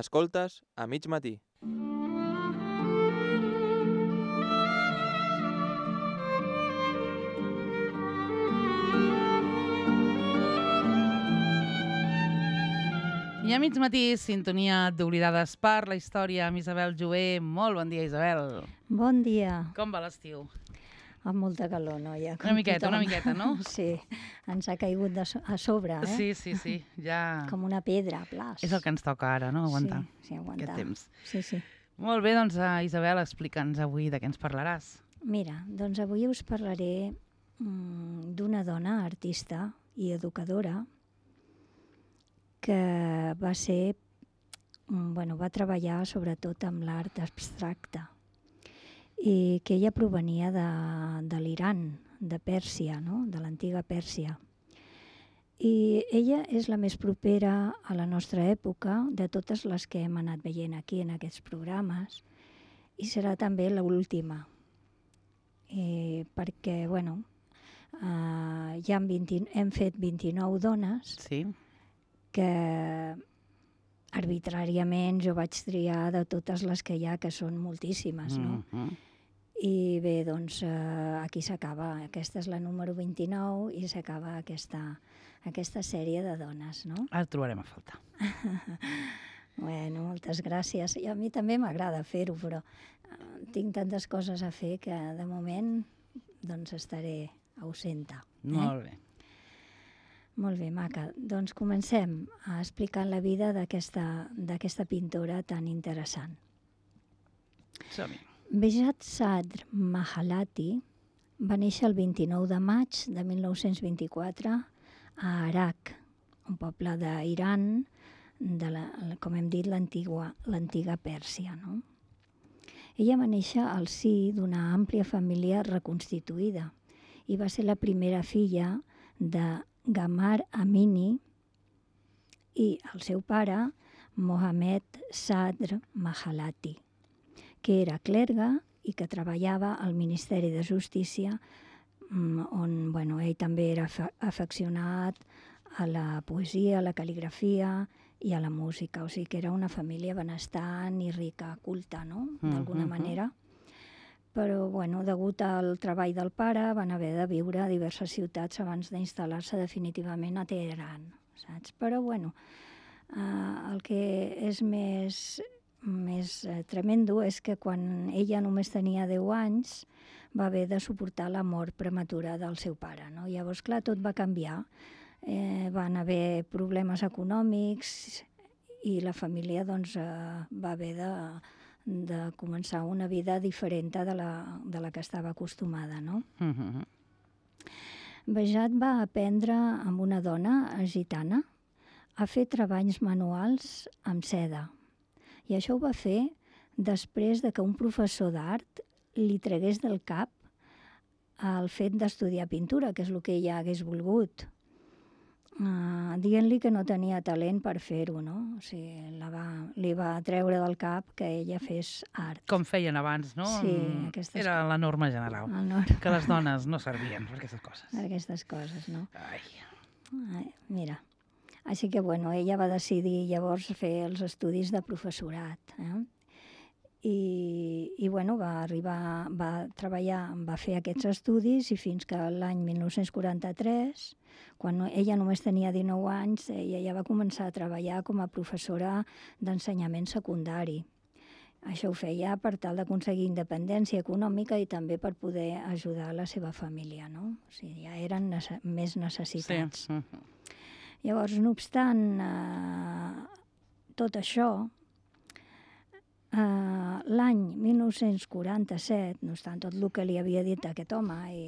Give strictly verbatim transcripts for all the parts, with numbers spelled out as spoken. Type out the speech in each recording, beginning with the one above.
Escoltes a mig matí. I a mig matí, sintonia d'Oblidades per la història amb Isabel Jover. Molt bon dia, Isabel. Bon dia. Com va l'estiu? Amb molta calor, noia. Una miqueta, una miqueta, no? Sí, ens ha caigut de so a sobre, eh? Sí, sí, sí, ja... Com una pedra, plas. És el que ens toca ara, no? Aguantar. Sí, sí, aguantar. Aquest temps. Sí, sí. Molt bé, doncs, uh, Isabel, explica'ns avui de què ens parlaràs. Mira, doncs avui us parlaré mm, d'una dona artista i educadora que va ser, mm, bueno, va treballar sobretot amb l'art abstracte i que ella provenia de, de l'Iran, de Pèrsia, no? De l'antiga Pèrsia. I ella és la més propera a la nostra època de totes les que hem anat veient aquí en aquests programes i serà també l'última. Eh, perquè, bueno, eh, ja hem, vint, hem fet vint-i-nou dones Sí. que arbitràriament jo vaig triar de totes les que hi ha, que són moltíssimes, no? Mm-hmm. I bé, doncs eh, aquí s'acaba. Aquesta és la número vint-i-nou i s'acaba aquesta, aquesta sèrie de dones, no? Ara et trobarem a faltar. Bueno, moltes gràcies. I a mi també m'agrada fer-ho, però eh, tinc tantes coses a fer que de moment doncs estaré ausenta. Eh? Molt bé. Molt bé, maca. Doncs comencem a explicar la vida d'aquesta d'aquesta pintora tan interessant. Som-hi. Behjat Sadr Mahalati va néixer el vint-i-nou de maig de mil nou-cents vint-i-quatre a Arak, un poble d'Iran, de la, com hem dit, l'antiga l'antiga Pèrsia, no? Ella va néixer al si d'una àmplia família reconstituïda i va ser la primera filla de Gamar Amini i el seu pare, Mohammed Sadr Mahalati, que era clergue i que treballava al Ministeri de Justícia, on bueno, ell també era afeccionat a la poesia, a la cal·ligrafia i a la música. O sigui que era una família benestant i rica, culta, no? D'alguna Mm-hmm. manera. Però, bueno, degut al treball del pare, van haver de viure a diverses ciutats abans d'instal·lar-se definitivament a Teheran, saps? Però, bueno, eh, el que és més, més eh, tremendo és que quan ella només tenia deu anys va haver de suportar la mort prematura del seu pare, no? Llavors, clar, tot va canviar. Eh, van haver problemes econòmics i la família doncs, eh, va haver de, de començar una vida diferent de la, de la que estava acostumada, no? Mm-hmm. Behjat va aprendre amb una dona gitana a fer treballs manuals amb seda. I això ho va fer després de que un professor d'art li tregués del cap el fet d'estudiar pintura, que és el que ella hagués volgut, uh, dient-li que no tenia talent per fer-ho, no? O sigui, la va, li va treure del cap que ella fes art. Com feien abans, no? Sí, aquestes Era coses. la norma general. El nord. Que les dones no servien per aquestes coses. Aquestes coses, no? Ai. Ai, mira. Així que, bueno, ella va decidir llavors fer els estudis de professorat, eh? I, i bueno, va arribar, va treballar, va fer aquests estudis i fins que l'any mil nou-cents quaranta-tres, quan ella només tenia dinou anys, ella ja va començar a treballar com a professora d'ensenyament secundari. Això ho feia per tal d'aconseguir independència econòmica i també per poder ajudar la seva família, no? O sigui, ja eren nece- més necessitats. Sí. Mm-hmm. Llavors, no obstant eh, tot això, eh, l'any mil nou-cents quaranta-set, no obstant tot el que li havia dit aquest home i,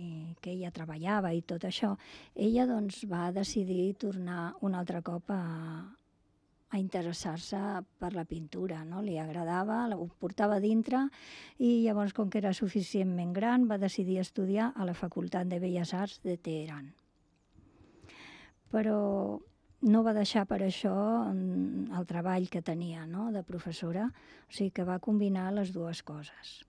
i que ella treballava i tot això, ella doncs, va decidir tornar un altre cop a, a interessar-se per la pintura, no? Li agradava, ho portava dintre i llavors, com que era suficientment gran, va decidir estudiar a la Facultat de Belles Arts de Teheran. Però no va deixar per això el treball que tenia, no?, de professora, o sigui que va combinar les dues coses.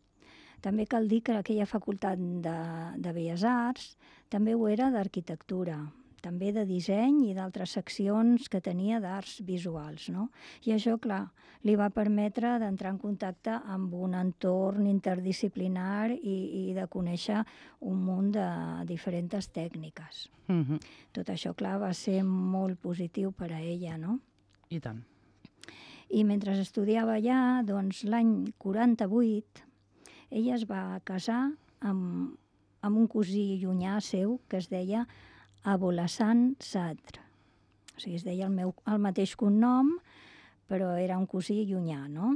També cal dir que aquella facultat de, de Belles Arts també ho era d'arquitectura. també de disseny i d'altres seccions que tenia d'arts visuals, no? I això, clar, li va permetre d'entrar en contacte amb un entorn interdisciplinar i, i de conèixer un munt de diferents tècniques. Mhm. Tot això, clar, va ser molt positiu per a ella, no? I tant. I mentre estudiava allà, doncs l'any quaranta-vuit, ella es va casar amb, amb un cosí llunyà seu que es deia Abolhassan Sadr. O sigui, es deia el, meu, el mateix cognom, però era un cosí llunyà, no?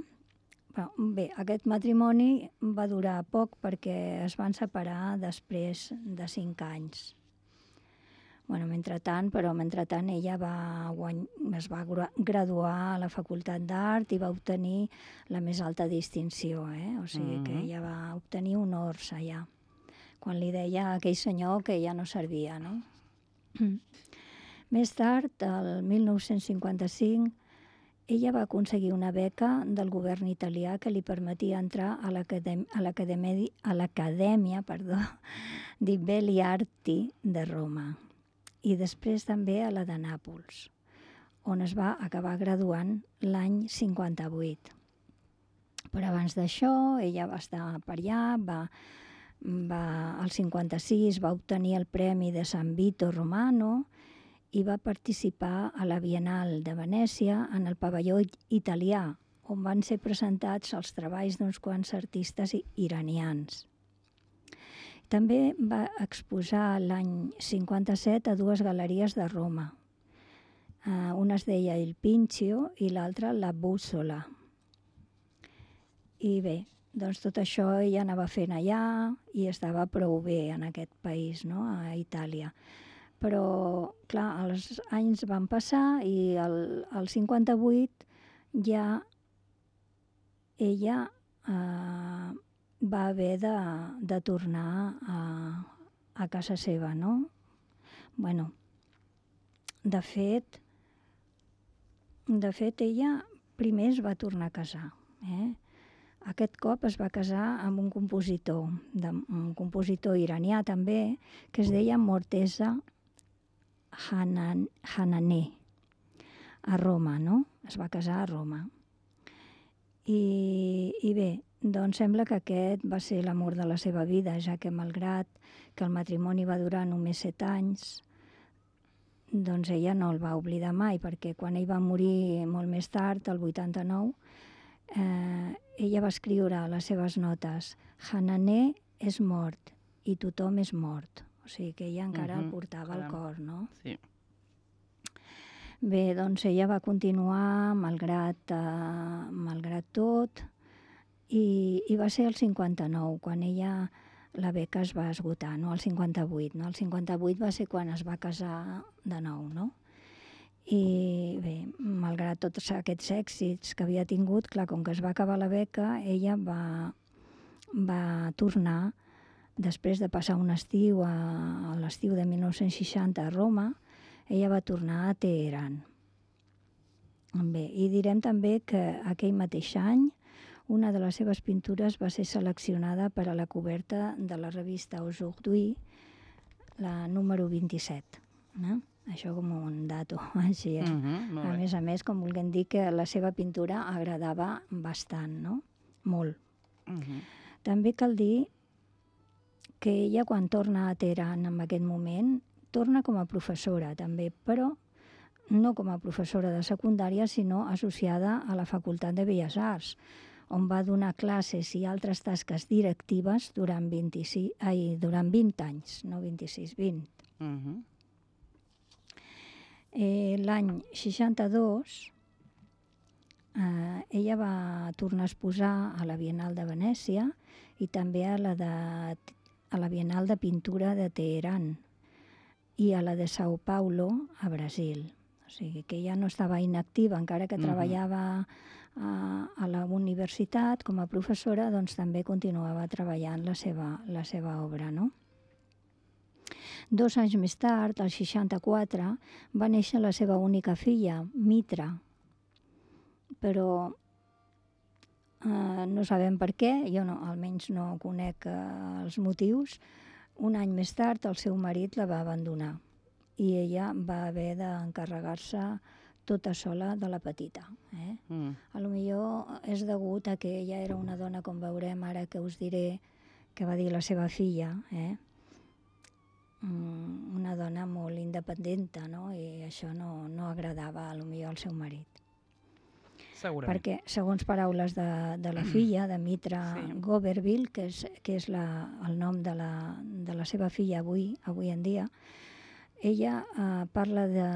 Però, bé, aquest matrimoni va durar poc perquè es van separar després de cinc anys. Bueno, mentrestant, però mentrestant ella va guany... es va graduar a la Facultat d'Art i va obtenir la més alta distinció, eh? O sigui que ella va obtenir honors allà, quan li deia a aquell senyor que ja no servia, no? Més tard, el mil nou-cents cinquanta-cinc, ella va aconseguir una beca del govern italià que li permetia entrar a l'Acadèmia perdó, di Belle Arti de Roma i després també a la de Nàpols, on es va acabar graduant l'any cinquanta-vuit. Però abans d'això, ella va estar per allà, va, va, al cinquanta-sis va obtenir el Premi de San Vito Romano i va participar a la Biennal de Venècia en el pavelló italià, on van ser presentats els treballs d'uns quants artistes iranians. També va exposar l'any cinquanta-set a dues galeries de Roma. Uh, una es deia Il Pincio i l'altra La Bussola. I bé, doncs tot això ella anava fent allà i estava prou bé en aquest país, no? A Itàlia. Però, clar, els anys van passar i el, el cinquanta-vuit ja ella eh, va haver de, de tornar a, a casa seva, no? Bueno, de fet, de fet ella primer es va tornar a casar, eh? Aquest cop es va casar amb un compositor, de, un compositor iranià també, que es deia Morteza Hanan, Hananeh, a Roma, no? Es va casar a Roma. I, i bé, doncs sembla que aquest va ser l'amor de la seva vida, ja que malgrat que el matrimoni va durar només set anys, doncs ella no el va oblidar mai, perquè quan ell va morir molt més tard, el vuitanta-nou, eh, ella va escriure a les seves notes Hananeh és mort i tothom és mort. O sigui que ella encara Mhm, el portava al caram. cor, no? Sí. Bé, doncs ella va continuar malgrat, eh, malgrat tot i, i va ser el cinquanta-nou, quan ella, la beca es va esgotar, no el cinquanta-vuit. No? El cinquanta-vuit va ser quan es va casar de nou, no? I bé, malgrat tots aquests èxits que havia tingut, clar, com que es va acabar la beca, ella va, va tornar, després de passar un estiu, a, a l'estiu de mil nou-cents seixanta a Roma, ella va tornar a Teheran. Bé, i direm també que aquell mateix any una de les seves pintures va ser seleccionada per a la coberta de la revista Aujourd'hui, la número vint-i-set. No? Això com un dato, així. Eh? Mhm, molt A bé. més a més, com volguem dir que la seva pintura agradava bastant, no? Molt. Mhm. També cal dir que ella, quan torna a Teheran en aquest moment, torna com a professora també, però no com a professora de secundària, sinó associada a la Facultat de Belles Arts, on va donar classes i altres tasques directives durant, vint-i-sis, ai, durant vint anys, no vint-i-sis, vint. Mhm. Eh, L'any seixanta-dos eh, ella va tornar a exposar a la Biennal de Venècia i també a la, de, a la Biennal de Pintura de Teheran i a la de Sao Paulo, a Brasil. O sigui que ella no estava inactiva, encara que Mhm. treballava a, a la universitat com a professora, doncs també continuava treballant la seva, la seva obra, no? Dos anys més tard, al seixanta-quatre, va néixer la seva única filla, Mitra. Però eh, no sabem per què, jo no, almenys no conec eh, els motius. Un any més tard, el seu marit la va abandonar. i ella va haver d'encarregar-se tota sola de la petita. Eh? Mm. A lo millor és degut a que ella era una dona, com veurem ara que us diré, que va dir la seva filla, eh? Mm, una dona molt independenta, no? I això no, no agradava a lo millor al seu marit. Segurament. Perquè, segons paraules de, de la filla, de Mitra Sí. Goverville, que és, que és la, el nom de la, de la seva filla avui, avui en dia, ella eh, parla de,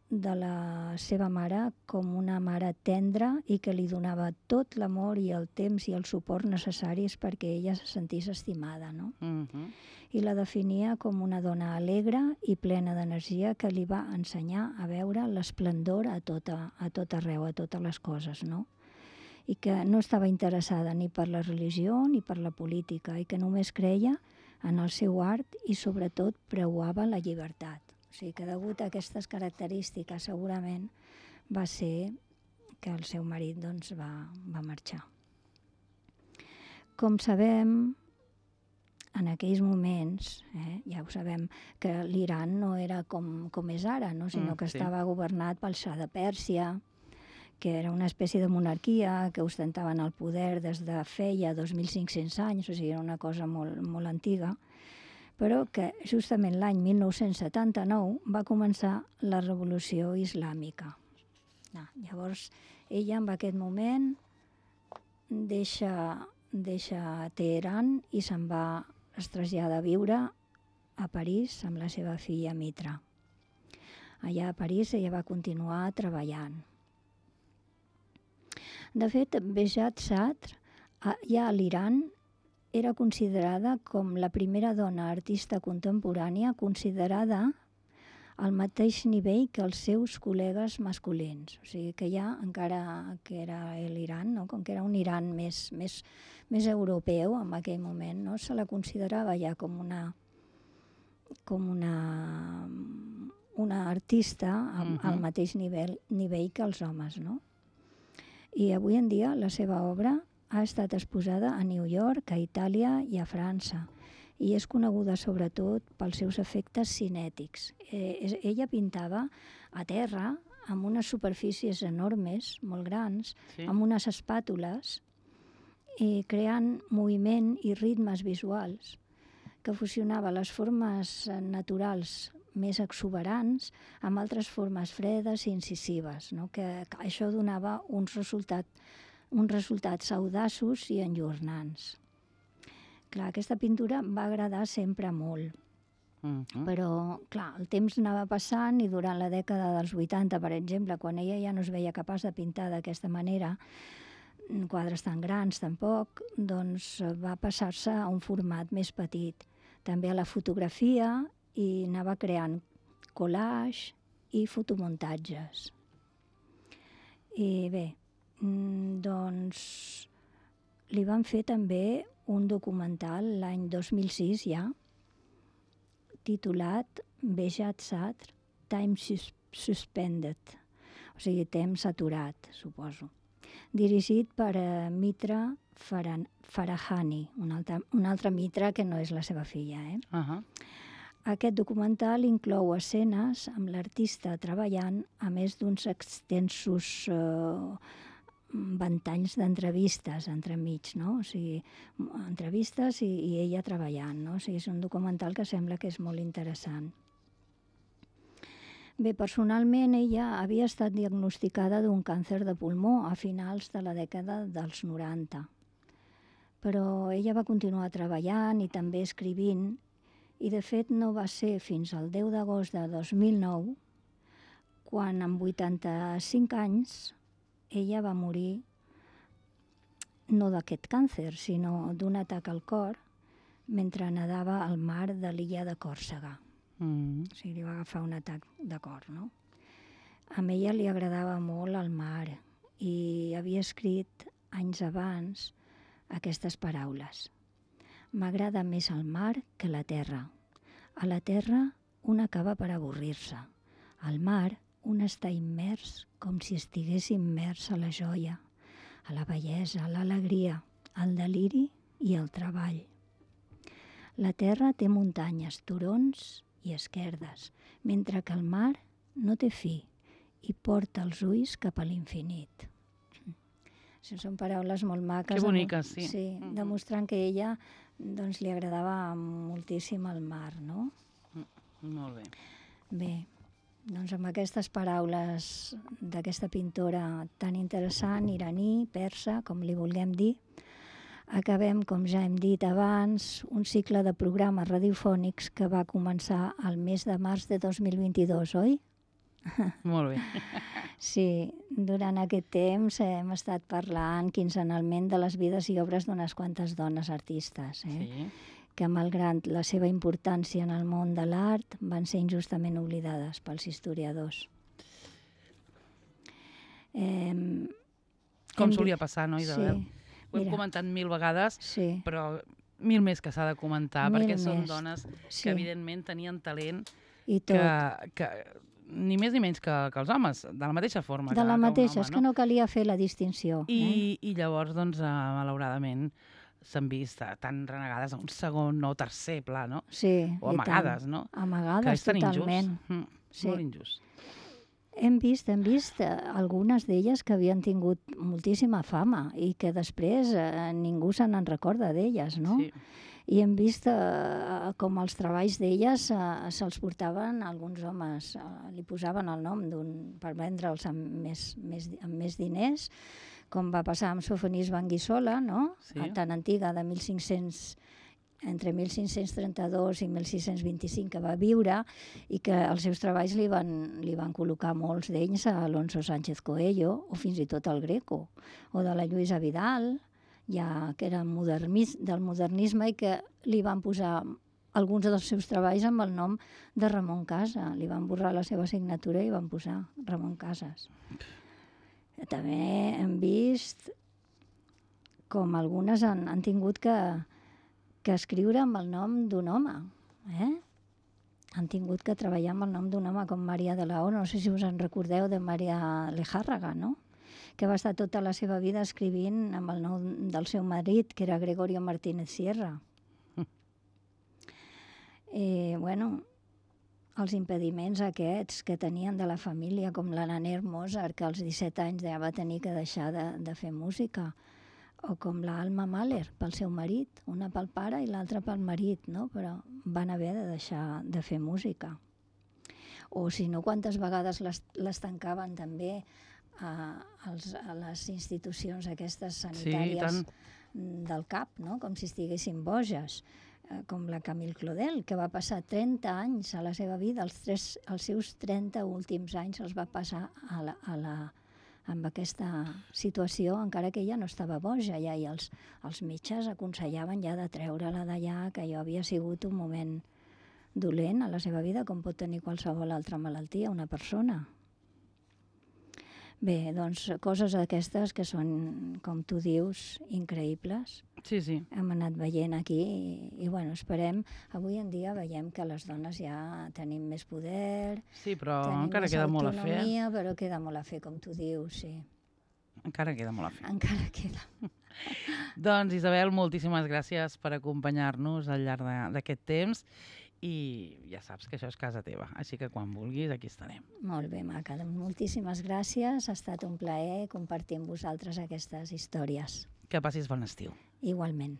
de la seva mare com una mare tendra i que li donava tot l'amor i el temps i el suport necessaris perquè ella se sentís estimada, no? Mhm. I la definia com una dona alegre i plena d'energia que li va ensenyar a veure l'esplendor a, tota, a tot arreu, a totes les coses, no? I que no estava interessada ni per la religió ni per la política i que només creia en el seu art i sobretot preuava la llibertat. O sigui que degut a aquestes característiques segurament va ser que el seu marit doncs, va, va marxar. Com sabem, en aquells moments, eh, ja ho sabem, que l'Iran no era com, com és ara, no? sinó Mm, que sí. estava governat pel Shah de Pèrsia, que era una espècie de monarquia que ostentaven el poder des de feia dos mil cinc-cents anys, o sigui, era una cosa molt, molt antiga, però que justament l'any mil nou-cents setanta-nou va començar la revolució islàmica. Ah, llavors, ella en aquest moment deixa, deixa Teheran i se'n va, es trasllada a viure a París amb la seva filla Mitra. Allà a París ella va continuar treballant. De fet, Behjat Sadr, a- ja a l'Iran, era considerada com la primera dona artista contemporània considerada al mateix nivell que els seus col·legues masculins. O sigui que ja, encara que era l'Iran, no? Com que era un Iran més, més, més europeu en aquell moment, no? Se la considerava ja com una, com una, una artista al, al Mhm. mateix nivell, nivell que els homes, no? I avui en dia la seva obra ha estat exposada a New York, a Itàlia i a França i és coneguda sobretot pels seus efectes cinètics. Eh, és, ella pintava a terra amb unes superfícies enormes, molt grans, Sí. amb unes espàtules i creant moviment i ritmes visuals que fusionava les formes eh, naturals més exuberants amb altres formes fredes i incisives, no? que, que això donava uns, resultat, uns resultats audaços i enllornants. Clar, aquesta pintura va agradar sempre molt, Mhm. però clar, el temps anava passant i durant la dècada dels vuitanta, per exemple, quan ella ja no es veia capaç de pintar d'aquesta manera, quadres tan grans tampoc, doncs va passar-se a un format més petit. També a la fotografia i anava creant collage i fotomuntatges. I bé, mm, doncs li van fer també un documental l'any dos mil sis ja, titulat Behjat Sadr, Time Sus Suspended, o sigui, temps aturat, suposo, dirigit per uh, Mitra Faran Farahani, un altre, un altre Mitra que no és la seva filla. Eh? Ahà. Aquest documental inclou escenes amb l'artista treballant, a més d'uns extensos eh, ventalls d'entrevistes entremig, no? O sigui, entrevistes i, i ella treballant, no? O sigui, és un documental que sembla que és molt interessant. Bé, personalment ella havia estat diagnosticada d'un càncer de pulmó a finals de la dècada dels noranta. Però ella va continuar treballant i també escrivint, i de fet no va ser fins al deu d'agost de dos mil nou quan amb vuitanta-cinc anys ella va morir no d'aquest càncer, sinó d'un atac al cor mentre nedava al mar de l'illa de Còrsega. Mm. O sigui, li va agafar un atac de cor, no? A ella li agradava molt el mar i havia escrit anys abans aquestes paraules. M'agrada més el mar que la terra. A la terra un acaba per avorrir-se. Al mar un està immers com si estigués immers a la joia, a la bellesa, a l'alegria, al deliri i al treball. La terra té muntanyes, turons i esquerdes, mentre que el mar no té fi i porta els ulls cap a l'infinit. Sí, són paraules molt maques. Que boniques, sí. Sí, Mm-hmm. demostrant que a ella doncs, li agradava moltíssim el mar, no? Molt bé. Bé, doncs amb aquestes paraules d'aquesta pintora tan interessant, iraní, persa, com li vulguem dir, acabem, com ja hem dit abans, un cicle de programes radiofònics que va començar el mes de març de dos mil vint-i-dos, oi? Molt bé. Sí, durant aquest temps hem estat parlant quinzenalment de les vides i obres d'unes quantes dones artistes, eh? Sí. que malgrat la seva importància en el món de l'art van ser injustament oblidades pels historiadors. Eh, Com hem solia dit- passar, no, Isabel? Sí, Ho hem mira. comentat mil vegades, sí, però mil més que s'ha de comentar, Mil perquè són més, dones sí. que evidentment tenien talent i tot. que, que ni més ni menys que, que els homes, de la mateixa forma De que, la que mateixa, un és home, que no calia fer la distinció. eh? I, I llavors, doncs, eh, malauradament, s'han vist eh, tan renegades a un segon o tercer pla, no? Sí, O i amagades, tant. no? Amagades, que és tan totalment. injust. Mm, Sí. Molt injust. Hem vist, hem vist eh, algunes d'elles que havien tingut moltíssima fama i que després eh, ningú se n'en recorda d'elles, no? Sí. I hem vist eh, com els treballs d'elles eh, se'ls portaven alguns homes, eh, li posaven el nom d'un per vendre'ls amb més, més, amb més diners, com va passar amb Sofonis Banguissola, no? Sí. Tan antiga, de mil cinc-cents entre mil cinc-cents trenta-dos i mil sis-cents vint-i-cinc que va viure i que els seus treballs li van, li van col·locar molts d'ells a Alonso Sánchez Coello o fins i tot al Greco, o de la Lluïsa Vidal, ja que era modernis, del modernisme i que li van posar alguns dels seus treballs amb el nom de Ramon Casa. Li van borrar la seva signatura i van posar Ramon Casas. També hem vist com algunes han, han tingut que, que escriure amb el nom d'un home. Eh? Han tingut que treballar amb el nom d'un home com Maria de la O. No sé si us en recordeu de Maria Lejárraga, no? Que va estar tota la seva vida escrivint amb el nom del seu marit, que era Gregorio Martínez Sierra. Eh, bueno, els impediments aquests que tenien de la família, com la Naner Mozart, que als disset anys ja va tenir que deixar de, de fer música, o com la Alma Mahler pel seu marit, una pel pare i l'altra pel marit, no? Però van haver de deixar de fer música. O si no, quantes vegades les, les tancaven també a, als, a les institucions aquestes sanitàries del cap, no? Com si estiguessin boges, eh, com la Camille Claudel, que va passar trenta anys a la seva vida, els, tres, els seus trenta últims anys els va passar a la, a la, amb aquesta situació, encara que ella no estava boja ja, i els, els metges aconsellaven ja de treure-la d'allà, que allò havia sigut un moment dolent a la seva vida, com pot tenir qualsevol altra malaltia una persona. Bé, doncs coses aquestes que són, com tu dius, increïbles. Sí, sí. Hem anat veient aquí i, i bueno, esperem, avui en dia veiem que les dones ja tenim més poder, Sí, però tenim encara més queda molt a fer. autonomia, però queda molt a fer, com tu dius, sí. Encara queda molt a fer. Encara queda. Doncs, Isabel, moltíssimes gràcies per acompanyar-nos al llarg de- d'aquest temps i ja saps que això és casa teva, així que quan vulguis aquí estarem. Molt bé, maca. Moltíssimes gràcies. Ha estat un plaer compartir amb vosaltres aquestes històries. Que passis bon estiu. Igualment.